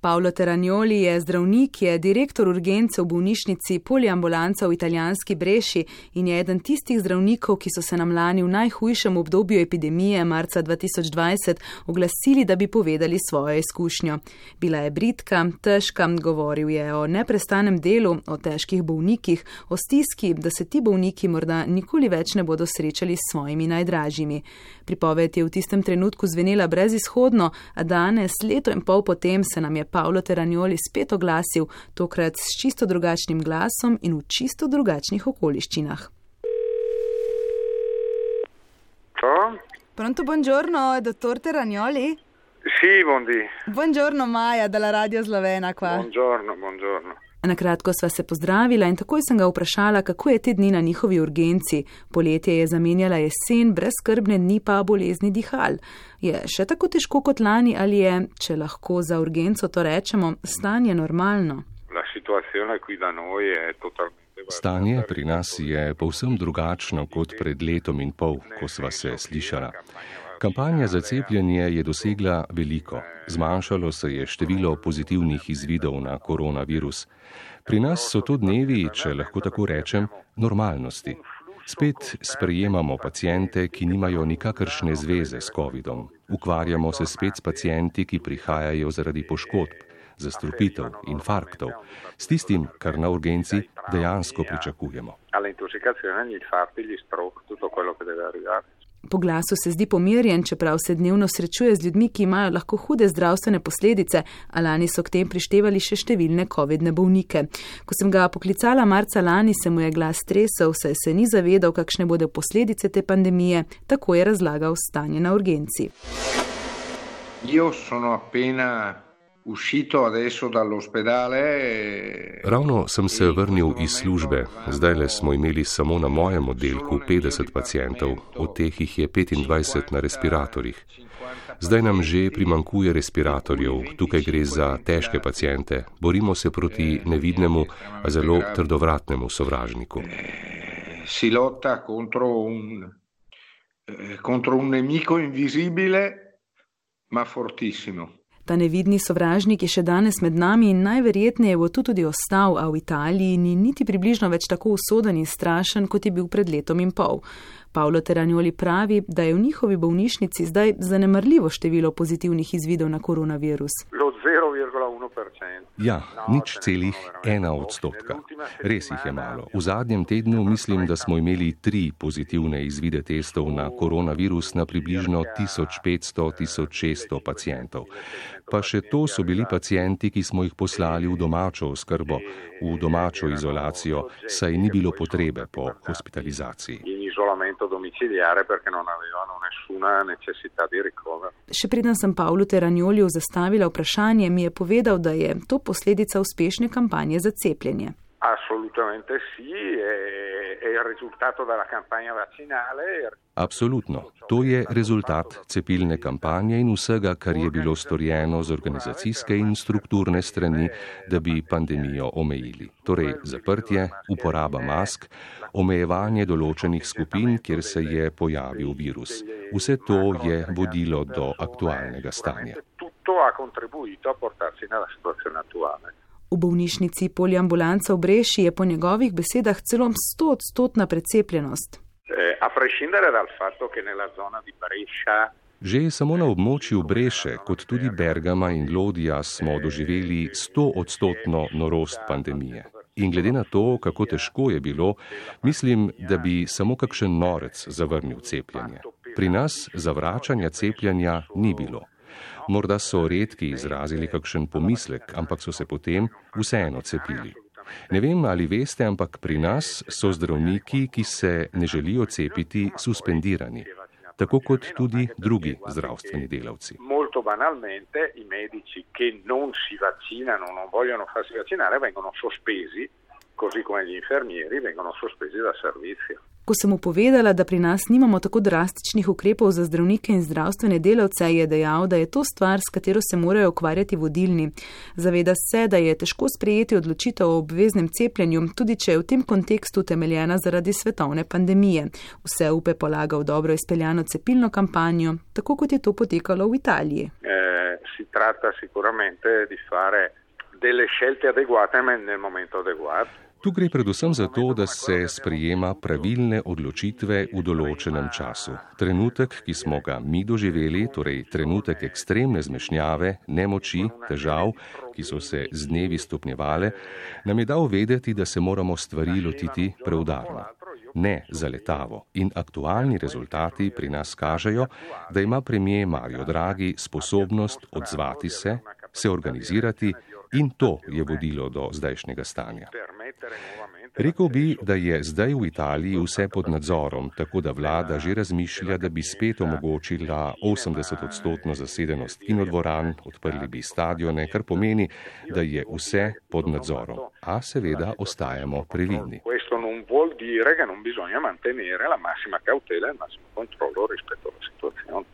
Paolo Teragnoli je zdravnik, je direktor urgence v bolnišnici Poliambulanca v italijanski Breši in je eden tistih zdravnikov, ki so se nam lani v najhujšem obdobju epidemije marca 2020 oglasili, da bi povedali svojo izkušnjo. Bila je bridka, težka, govoril je o neprestanem delu, o težkih bolnikih, o stiski, da se ti bolniki morda nikoli več ne bodo srečali s svojimi najdražjimi. Pripoved je v tistem trenutku zvenela brezizhodno, a danes, leto in pol potem, se nam je Paolo Teragnoli spet oglasil, tokrat s čisto drugačnim glasom in v čisto drugačnih okoliščinah. Pronto, buongiorno, dottor Teragnoli? Sì, buondì. Buongiorno, Maja, dalla Radio Slovena qua. Buongiorno. Nakratko sva se pozdravila in takoj sem ga vprašala, kako je te dni na njihovi urgenci. Poletje je zamenjala jesen, brezskrbne dni pa bolezni dihal. Je še tako težko kot lani ali je, če lahko za urgenco to rečemo, stanje normalno? Stanje pri nas je povsem drugačno kot pred letom in pol, ko sva se slišala. Kampanja za cepljenje je dosegla veliko. Zmanjšalo se je število pozitivnih izvidov na koronavirus. Pri nas so to dnevi, če lahko tako rečem, normalnosti. Spet sprejemamo paciente, ki nimajo nikakršne zveze s covidom. Ukvarjamo se spet s pacienti, ki prihajajo zaradi poškodb, zastrupitev, infarktov, s tistim, kar na urgenci dejansko pričakujemo. Po glasu se zdi pomirjen, čeprav se dnevno srečuje z ljudmi, ki imajo lahko hude zdravstvene posledice, a lani so k tem prištevali še številne covidne bolnike. Ko sem ga poklicala marca lani, se mu je glas tresel, saj se ni zavedal, kakšne bodo posledice te pandemije, tako je razlagal stanje na urgenci. Io sono appena uscito adesso dall'ospedale. Ravno sem se vrnil iz službe. Zdajle smo imeli samo na mojem oddelku 50 pacientov, od teh jih je 25 na respiratorjih. Zdaj nam že primanjkuje respiratorjev, tukaj gre za težke paciente. Borimo se proti nevidnemu, a zelo trdovratnemu sovražniku. Si lotta contro un nemico invisibile, ma fortissimo. Ta nevidni sovražnik je še danes med nami in najverjetneje bo tudi ostal, a v Italiji ni niti približno več tako usoden in strašen, kot je bil pred letom in pol. Paolo Teragnoli pravi, da je v njihovi bolnišnici zdaj zanemarljivo število pozitivnih izvidov na koronavirus. Ja, 0,1%. Res jih je malo. V zadnjem tednu mislim, da smo imeli 3 pozitivne izvide testov na koronavirus na približno 1500-1600 pacientov. Pa še to so bili pacienti, ki smo jih poslali v domačo oskrbo, v domačo izolacijo, saj ni bilo potrebe po hospitalizaciji. Še preden sem Paolu Teragnoliju zastavila vprašanje, mi je povedal, da je to posledica uspešne kampanje za cepljenje. Assolutamente sì, è il risultato della campagna vaccinale. Absolutno. To je rezultat cepilne kampanje in vsega, kar je bilo storjeno z organizacijske in strukturne strani, da bi pandemijo omejili. Torej zaprtje, uporaba mask, omejevanje določenih skupin, kjer se je pojavil virus. Vse to je vodilo do aktualnega stanja. Tutto ha contribuito a portarci nella situazione attuale. V bolnišnici Poliambulanca v Breši je po njegovih besedah celo 100% precepljenost. A prescindere dal fatto che nella zona di Brescia Že samo na območju Breše, kot tudi Bergama in Lodija smo doživeli 100% norost pandemije. In glede na to, kako težko je bilo, mislim, da bi samo kakšen norec zavrnil cepljenje. Pri nas zavračanja cepljenja ni bilo. Morda so redki izrazili kakšen pomislek, ampak so se potem vseeno cepili. Ne vem, ali veste, ampak pri nas so zdravniki, ki se ne želijo cepiti, suspendirani. Tako kot tudi drugi zdravstveni delavci. Molto banalmente i medici che non si vaccinano, non vogliono farsi vaccinare, vengono sospesi, così come gli infermieri vengono sospesi dal servizio. Ko sem mu povedala, da pri nas nimamo tako drastičnih ukrepov za zdravnike in zdravstvene delavce, je dejal, da je to stvar, s katero se morajo ukvarjati vodilni. Zaveda se, da je težko sprejeti odločitev o obveznem cepljenju, tudi če je v tem kontekstu temeljena zaradi svetovne pandemije. Vse upe polaga v dobro izpeljano cepilno kampanjo, tako kot je to potekalo v Italiji. Si tratta sicuramente di fare delle scelte adeguate nel momento adeguato. Tu gre predvsem za to, da se sprejema pravilne odločitve v določenem času. Trenutek, ki smo ga mi doživeli, torej trenutek ekstremne zmešnjave, nemoči, težav, ki so se z dnevi stopnjevale, nam je dal vedeti, da se moramo stvari lotiti preudarno. Ne zaletavo. In aktualni rezultati pri nas kažejo, da ima premier Mario Draghi sposobnost odzvati se organizirati in to je vodilo do zdajšnjega stanja. Rekel bi, da je zdaj v Italiji vse pod nadzorom, tako da vlada že razmišlja, da bi spet omogočila 80% zasedenost kinodvoran, odprli bi stadione, kar pomeni, da je vse pod nadzorom. A seveda ostajamo previdni. Questo non vuol dire che non bisogna mantenere la massima cautela e il massimo controllo rispetto alla situazione.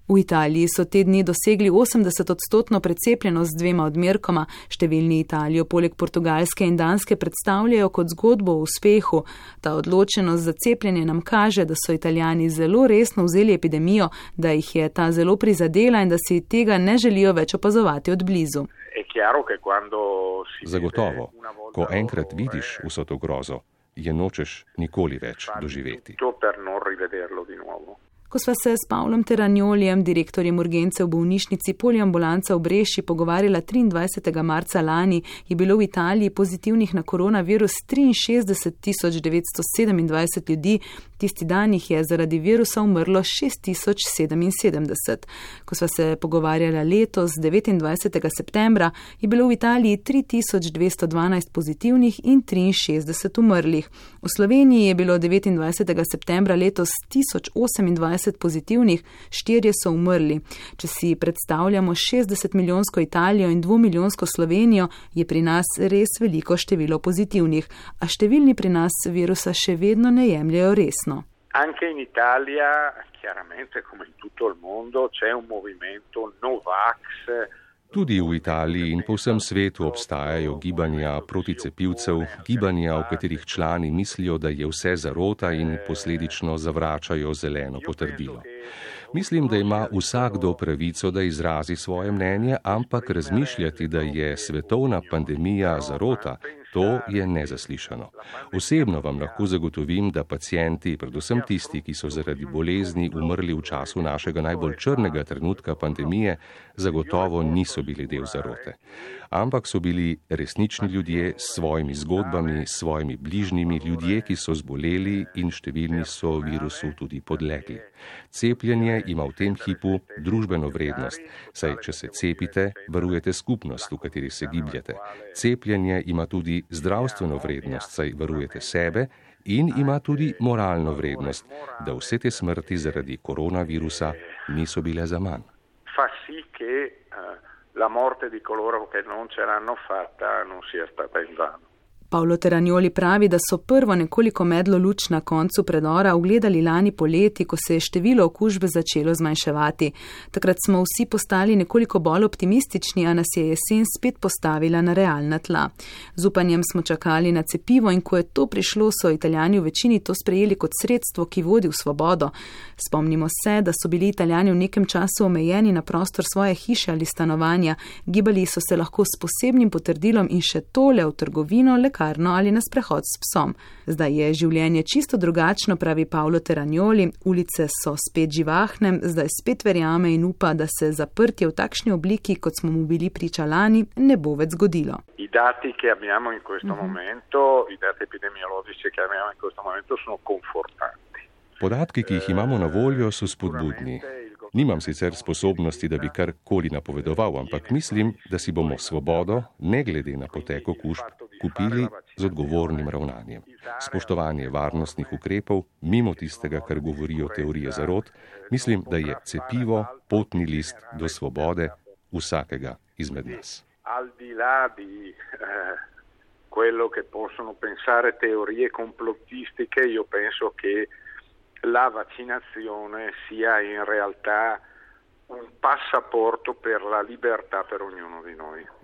V Italiji so te dni dosegli 80% precepljenost z 2 odmerkoma. Številni Italijo poleg Portugalske in Danske predstavljajo kot zgodbo o uspehu. Ta odločenost za cepljenje nam kaže, da so Italijani zelo resno vzeli epidemijo, da jih je ta zelo prizadela in da si tega ne želijo več opazovati od blizu. Zagotovo, ko enkrat vidiš vso to grozo, je nočeš nikoli več doživeti. Ko sva se s Pavlom Teragnolijem, direktorjem urgence v bolnišnici Poliambulanca v Breši, pogovarjala 23. marca lani, je bilo v Italiji pozitivnih na koronavirus 63.927 ljudi, tisti dan jih je zaradi virusa umrlo 6.077. Ko sva se pogovarjala letos, 29. septembra, je bilo v Italiji 3.212 pozitivnih in 63 umrlih. V Sloveniji je bilo 29. septembra letos 1028 pozitivnih, 4 so umrli. Če si predstavljamo 60-milijonsko Italijo in 2-milijonsko Slovenijo, je pri nas res veliko število pozitivnih, a številni pri nas virusa še vedno ne jemljajo resno. Anche in Italia, chiaramente come in tutto il mondo, c'è un movimento Novax. Tudi v Italiji in po vsem svetu obstajajo gibanja proticepivcev, gibanja, v katerih člani mislijo, da je vse zarota in posledično zavračajo zeleno potrdilo. Mislim, da ima vsakdo pravico, da izrazi svoje mnenje, ampak razmišljati, da je svetovna pandemija zarota, to je nezaslišano. Osebno vam lahko zagotovim, da pacienti, predvsem tisti, ki so zaradi bolezni umrli v času našega najbolj črnega trenutka pandemije, zagotovo niso bili del zarote. Ampak so bili resnični ljudje s svojimi zgodbami, s svojimi bližnjimi, ljudje, ki so zboleli in številni so virusu tudi podlegli. Cepljenje ima v tem hipu družbeno vrednost, saj če se cepite, varujete skupnost, v kateri se gibljete. Cepljenje ima tudi zdravstveno vrednost, saj varujete sebe, in ima tudi moralno vrednost, da vse te smrti zaradi koronavirusa niso bile zaman. La morte di coloro che non ce l'hanno fatta non sia stata invano. Paolo Teragnoli pravi, da so prvo nekoliko medlo luč na koncu predora ugledali lani poleti, ko se je število okužbe začelo zmanjševati. Takrat smo vsi postali nekoliko bolj optimistični, a nas je jesen spet postavila na realna tla. Z upanjem smo čakali na cepivo in ko je to prišlo, so Italijani v večini to sprejeli kot sredstvo, ki vodi v svobodo. Spomnimo se, da so bili Italijani v nekem času omejeni na prostor svoje hiše ali stanovanja, gibali so se lahko s posebnim potrdilom in še tole v trgovino, ali na sprehod s psom. Zdaj je življenje čisto drugačno, pravi Paolo Teragnoli, ulice so spet živahne, zdaj spet verjame in upa, da se zaprtje v takšni obliki, kot smo mu bili priča lani, ne bo več zgodilo. I dati che abbiamo in questo momento, i dati epidemiologici che abbiamo in questo momento sono confortanti. Podatki, ki jih imamo na voljo, so spodbudni. Nimam sicer sposobnosti, da bi karkoli napovedoval, ampak mislim, da si bomo svobodo, ne glede na potek okužb, kupili z odgovornim ravnanjem. Spoštovanje varnostnih ukrepov, mimo tistega, kar govorijo teorije zarot, mislim, da je cepivo potni list do svobode vsakega izmed nas. quello che possono pensare teorie complottistiche, io penso che la vaccinazione sia in realtà un passaporto per la libertà per ognuno di noi.